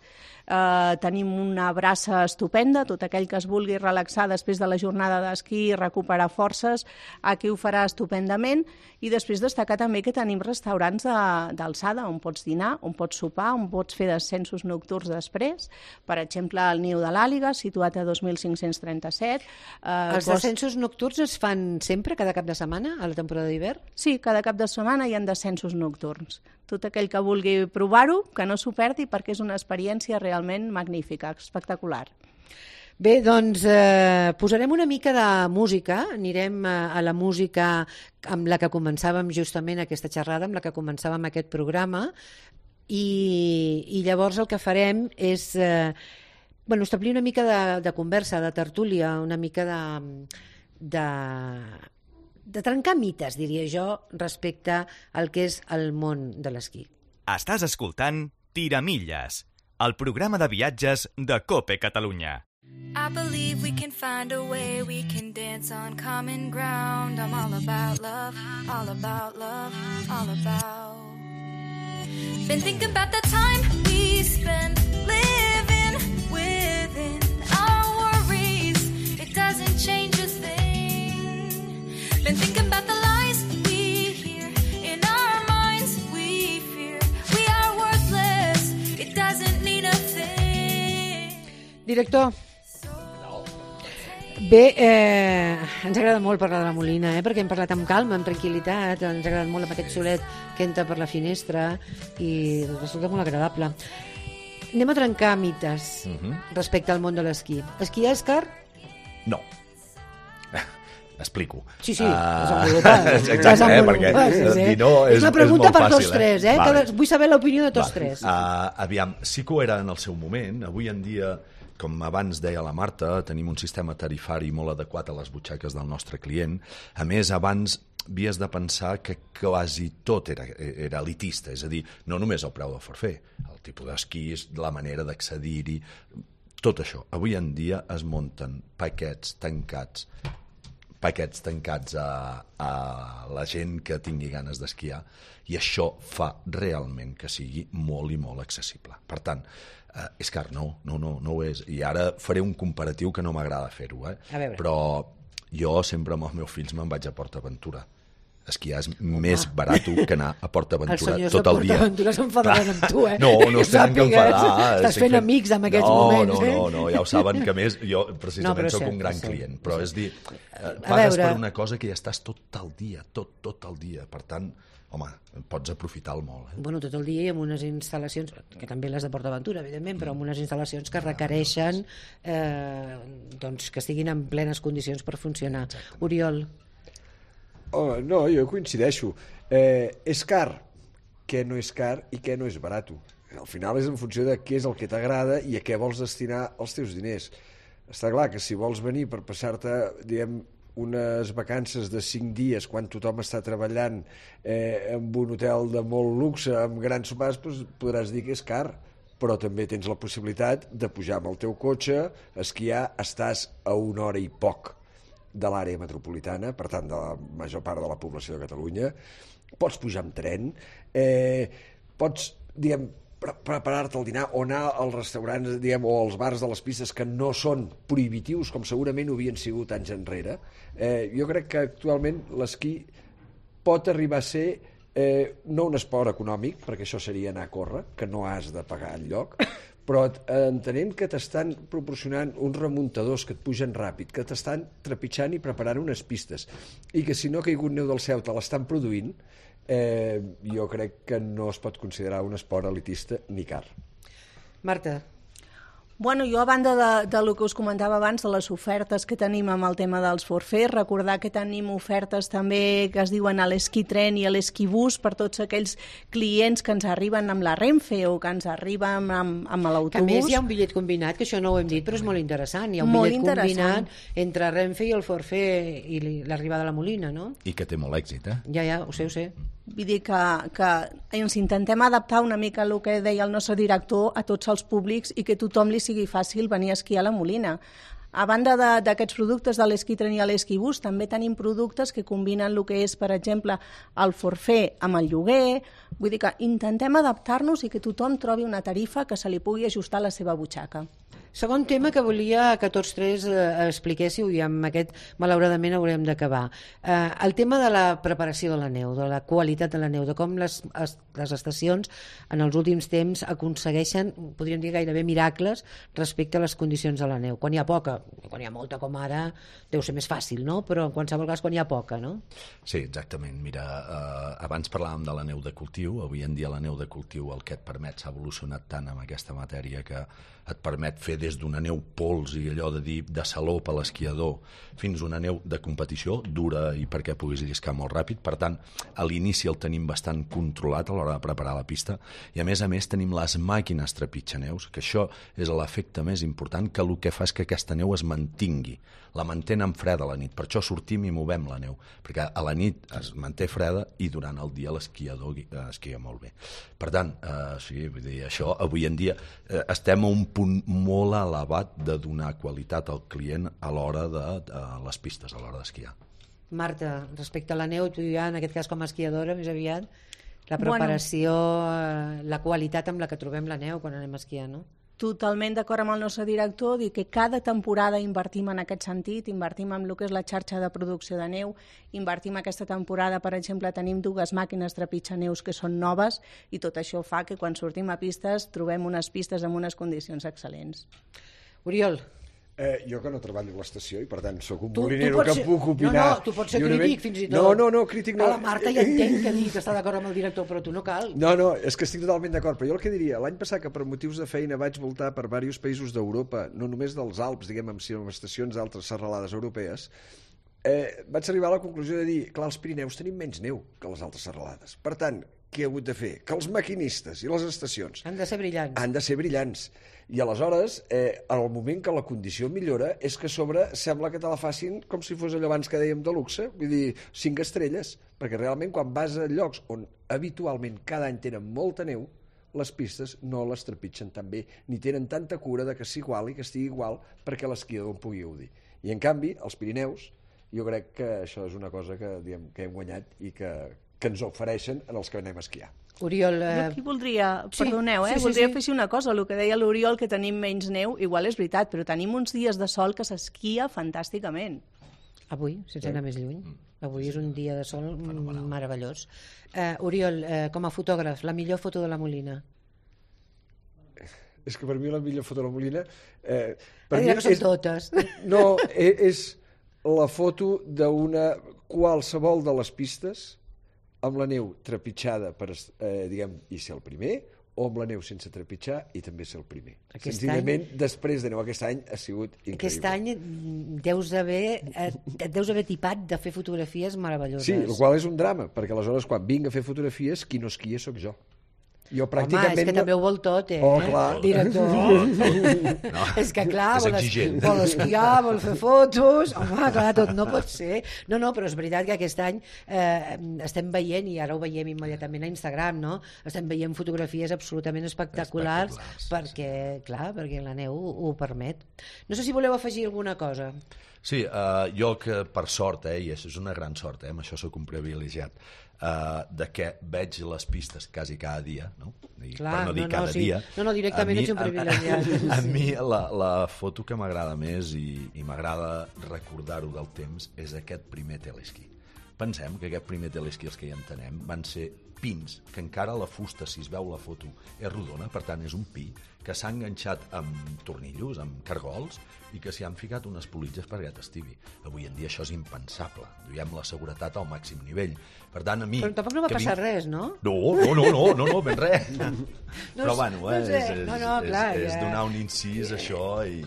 eh, tenim una brassa estupenda. Tot aquell que es vulgui relaxar després de la jornada d'esquí i recuperar forces, aquí ho farà estupendament. I després destacar també que tenim restaurants d'alçada on pots dinar, on pots sopar, on pots fer descensos nocturns després. Per exemple, el Niu de l'Àliga, situat a dos mil cinc-cents trenta-set. Eh, Els cost... descensos nocturns es fan sempre, cada cap de setmana, a la temporada d'hivern? Sí, cada cap de setmana hi ha descensos nocturns. Tot aquell que vulgui provar-ho, que no s'ho perdi, perquè és una experiència realment magnífica, espectacular. Bé, doncs eh, posarem una mica de música, anirem a, a la música amb la que començàvem justament aquesta xerrada, amb la que començàvem aquest programa, i, i llavors el que farem és eh, bueno, establir una mica de, de conversa, de tertúlia, una mica de... de de trencar mites, diria jo, respecte al que és el món de l'esquí. Estàs escoltant Tiramilles, el programa de viatges de COPE Catalunya. I believe we can find a way, we can dance on common ground. I'm all about love, all about love, all about. Been thinking about the time we spend living within our worries. It doesn't change a thing. Been thinking about the lies we hear in our minds. We fear we are worthless. It doesn't mean a thing. Director. Bé, eh, ens agrada molt parlar de la Molina, eh, perquè hem parlat amb calma, amb tranquil·litat, ens ha agradat molt amb aquest solet que entra per la finestra i resulta molt agradable. Anem a trencar mites uh-huh. respecte al món de l'esquí. Esquiar és car? No. Explico. Sí, sí, uh, desenvolupar. Exacte, eh, perquè sí, sí. dir no és, és la pregunta és molt per fàcil, tots tres, eh? Vale. Que vull saber l'opinió de tots vale. tres. Uh, aviam, sí que ho era en el seu moment. Avui en dia, com abans deia la Marta, tenim un sistema tarifari molt adequat a les butxaques del nostre client. A més, abans havies de pensar que quasi tot era, era elitista, és a dir, no només el preu del forfait, el tipus d'esquís, la manera d'accedir-hi, tot això. Avui en dia es munten paquets tancats paquets tancats a, a la gent que tingui ganes d'esquiar, i això fa realment que sigui molt i molt accessible. Per tant, eh, és car, no, no, no, no ho és. I ara faré un comparatiu que no m'agrada fer-ho, eh? però jo sempre amb els meus fills me'n vaig a PortAventura. esquiar és més barat que anar a PortAventura Els tot el dia. senyors de PortAventura s'enfadaran amb tu, eh? No, no es tenen que enfadar. Estàs fent amics en aquests no, moments, no, eh? No, no, ja ho saben que a més jo precisament No, però sóc cert, un gran cert, client, però és dir, A pagues veure- per una cosa que ja estàs tot el dia, tot, tot el dia, per tant, home, pots aprofitar-lo molt. Eh? Bueno, tot el dia i amb unes instal·lacions, que també les de PortAventura, evidentment, però amb unes instal·lacions que requereixen eh, doncs, que estiguin en plenes condicions per funcionar. Oriol. Oh, no, jo coincideixo. Eh, és car, què no és car i què no és barat. Al final és en funció de què és el que t'agrada i a què vols destinar els teus diners. Està clar que si vols venir per passar-te, diguem, unes vacances de cinc dies quan tothom està treballant eh, en un hotel de molt luxe, amb grans sopars, doncs podràs dir que és car, però també tens la possibilitat de pujar amb el teu cotxe, esquiar, estàs a una hora i poc de l'àrea metropolitana, per tant de la major part de la població de Catalunya, pots pujar amb tren, eh, pots, diguem, pre preparar-te el dinar o anar als restaurants, diguem, o als bars de les pistes que no són prohibitius com segurament ho havien sigut anys enrere. Eh, jo crec que actualment l'esquí pot arribar a ser eh, no un esport econòmic, perquè això seria anar a córrer, que no has de pagar enlloc, però entenent que t'estan proporcionant uns remuntadors que et pugen ràpid, que t'estan trepitjant i preparant unes pistes, i que si no ha caigut neu del cel te l'estan produint, eh, jo crec que no es pot considerar un esport elitista ni car. Marta. Bueno, jo a banda de, de lo que us comentava abans, de les ofertes que tenim amb el tema dels forfers, recordar que tenim ofertes també que es diuen a l'esquí tren i a l'esquí bus per tots aquells clients que ens arriben amb la Renfe o que ens arriben amb, amb l'autobús. Que a més hi ha un bitllet combinat, que això no ho hem dit, però és molt interessant. Hi ha un Molt bitllet interessant. combinat entre Renfe i el forfait i l'arribada a la Molina, no? I que té molt èxit, eh? Ja, ja, ho sé, ho sé. Vull dir que, que ens intentem adaptar una mica el que deia el nostre director a tots els públics i que a tothom li sigui fàcil venir a esquiar a la Molina. A banda d'aquests productes de l'esquí tren i l'esquí bus, també tenim productes que combinen el que és, per exemple, el forfait amb el lloguer. Vull dir que intentem adaptar-nos i que tothom trobi una tarifa que se li pugui ajustar a la seva butxaca. Segon tema que volia que tots tres eh, expliquéssiu, i amb aquest malauradament haurem d'acabar. Eh, el tema de la preparació de la neu, de la qualitat de la neu, de com les, es, les estacions en els últims temps aconsegueixen, podríem dir gairebé miracles, respecte a les condicions de la neu. Quan hi ha poca, quan hi ha molta com ara, deu ser més fàcil, no? Però en qualsevol cas quan hi ha poca, no? Sí, exactament. Mira, eh, abans parlàvem de la neu de cultiu. Avui en dia la neu de cultiu el que et permet s'ha evolucionat tant amb aquesta matèria que et permet fer des d'una neu pols i allò de dir de saló per l'esquiador fins a una neu de competició dura i perquè puguis lliscar molt ràpid. Per tant, a l'inici el tenim bastant controlat a l'hora de preparar la pista i a més a més tenim les màquines trepitjaneus, que això és l'efecte més important, que el que fa és que aquesta neu es mantingui. La mantenen freda a la nit, per això sortim i movem la neu, perquè a la nit es manté freda i durant el dia l'esquiador esquia molt bé. Per tant, eh, sí, vull dir, això avui en dia eh, estem a un punt molt elevat de donar qualitat al client a l'hora de, de les pistes, a l'hora d'esquiar. Marta, respecte a la neu, tu ja, en aquest cas com a esquiadora, més aviat, la preparació, bueno, la qualitat amb la que trobem la neu quan anem a esquiar, no? Totalment d'acord amb el nostre director, dir que cada temporada invertim en aquest sentit, invertim en el que és la xarxa de producció de neu, invertim aquesta temporada, per exemple, tenim dues màquines trepitjaneus que són noves i tot això fa que quan sortim a pistes trobem unes pistes amb unes condicions excel·lents. Oriol. Eh, jo que no treballo a l'estació i per tant sóc un Tu- tu molinero pots que ser- puc opinar. No, no, tu pots ser lliurement. crític, fins i tot. No, no, no, crític no. Que la Marta ja entenc que digui que està d'acord amb el director, però tu no cal. No, no, és que estic totalment d'acord, però jo el que diria, l'any passat que per motius de feina vaig voltar per diversos països d'Europa, no només dels Alps, diguem, sinó amb estacions d'altres serralades europees, eh, vaig arribar a la conclusió de dir, clar, als Pirineus tenim menys neu que les altres serralades. Per tant, què he hagut de fer? Que els maquinistes i les estacions Han de ser brillants. han de ser brillants. I aleshores, eh, en el moment que la condició millora, és que a sobre sembla que te la facin com si fos allò abans que dèiem de luxe, vull dir, cinc estrelles, perquè realment quan vas a llocs on habitualment cada any tenen molta neu, les pistes no les trepitgen tan bé, ni tenen tanta cura de que s'iguali, que estigui igual, perquè l'esquiador en pugui gaudir. I en canvi, als Pirineus, jo crec que això és una cosa que, diguem, que hem guanyat i que, que ens ofereixen en els que anem a esquiar. Oriol... Jo Eh... aquí voldria, Sí, perdoneu, eh? sí, sí, voldria sí. afegir una cosa, el que deia l'Oriol, que tenim menys neu, igual és veritat, però tenim uns dies de sol que s'esquia fantàsticament. Avui, sense anar més lluny. Avui és un dia de sol meravellós. Uh, Oriol, uh, com a fotògraf, la millor foto de la Molina? És que per mi la millor foto de la Molina... Eh, per mi que són és, totes. No, és la foto d'una qualsevol de les pistes amb la neu trepitjada per, eh, diguem, i ser el primer, o amb la neu sense trepitjar i també ser el primer. Aquest Senzillament, any... després de neu, aquest any ha sigut increïble. Aquest any deus haver, eh, et deus haver tipat de fer fotografies meravelloses. Sí, el qual és un drama, perquè aleshores quan vinc a fer fotografies, qui no esquia sóc jo. Jo pràcticament... Home, és que també ho vol tot, eh? Oh, clar. Director. No, no. És que clar, És vol, es, exigent. vol esquiar, vol fer fotos... Home, clar, tot no pot ser. No, no, però és veritat que aquest any eh, estem veient, i ara ho veiem immediatament a Instagram, no? Estem veient fotografies absolutament espectaculars, espectaculars perquè, clar, perquè la neu ho, ho permet. No sé si voleu afegir alguna cosa. Sí, uh, jo que per sort, eh, i és una gran sort, eh, amb això soc un privilegiat, uh, de que veig les pistes quasi cada dia, no? I, Clar, per no dir no, no, cada sí. dia. No, no, directament mi, ets un privilegiat. A, a, a Sí. mi la, la foto que m'agrada més i, i m'agrada recordar-ho del temps és aquest primer telesquí. Pensem que aquest primer telesquí, els que hi entenem, van ser pins, que encara la fusta, si es veu la foto, és rodona, per tant és un pi, que s'ha enganxat amb tornillos, amb cargols, i que s'hi han ficat unes politges perquè t'estivi. Avui en dia això és impensable. Duiem la seguretat al màxim nivell. Per tant, a mi... Però tampoc no va passar mi... res, no? No, no, no, no, no, no ben res. No, Però bueno, no eh, sé. és, és, No, no, clar, és, és ja. donar un incís, això, i...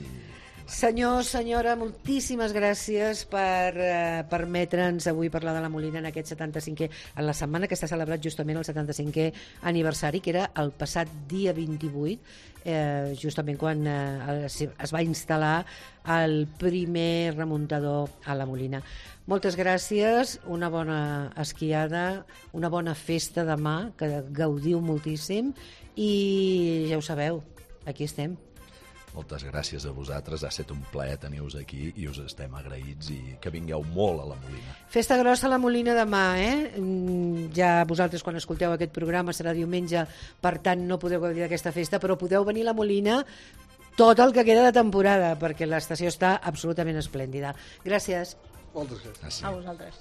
Senyor, senyora, moltíssimes gràcies per eh, permetre'ns avui parlar de la Molina en aquest setanta-cinquè, en la setmana que està celebrat justament el setanta-cinquè aniversari, que era el passat dia vint-i-vuit, eh, justament quan eh, es va instal·lar el primer remuntador a la Molina. Moltes gràcies, una bona esquiada, una bona festa demà, que gaudiu moltíssim, i ja ho sabeu, aquí estem. Moltes gràcies a vosaltres, ha estat un plaer tenir-vos aquí i us estem agraïts i que vingueu molt a la Molina. Festa grossa a la Molina demà, eh? Mm, Ja vosaltres quan escolteu aquest programa serà diumenge, per tant no podeu gaudir d'aquesta festa, però podeu venir a la Molina tot el que queda de temporada, perquè l'estació està absolutament esplèndida. Gràcies. Moltes gràcies. Ah, sí. A vosaltres.